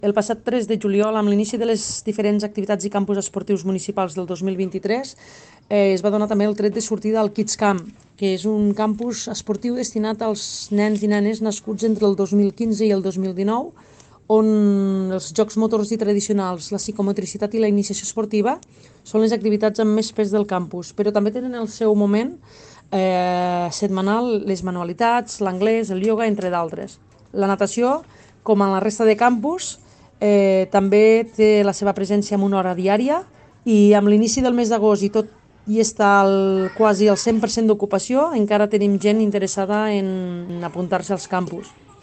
El passat 3 de juliol, amb l'inici de les diferents activitats i campus esportius municipals del 2023, es va donar també el tret de sortida al Kids Camp, que és un campus esportiu destinat als nens i nenes nascuts entre el 2015 i el 2019, on els jocs motors i tradicionals, la psicomotricitat i la iniciació esportiva són les activitats amb més pes del campus, però també tenen el seu moment setmanal les manualitats, l'anglès, el ioga, entre d'altres. La natació, com en la resta de campus, també té la seva presència en una hora diària i amb l'inici del mes d'agost i tot i està quasi al 100% d'ocupació, encara tenim gent interessada en apuntar-se als campus.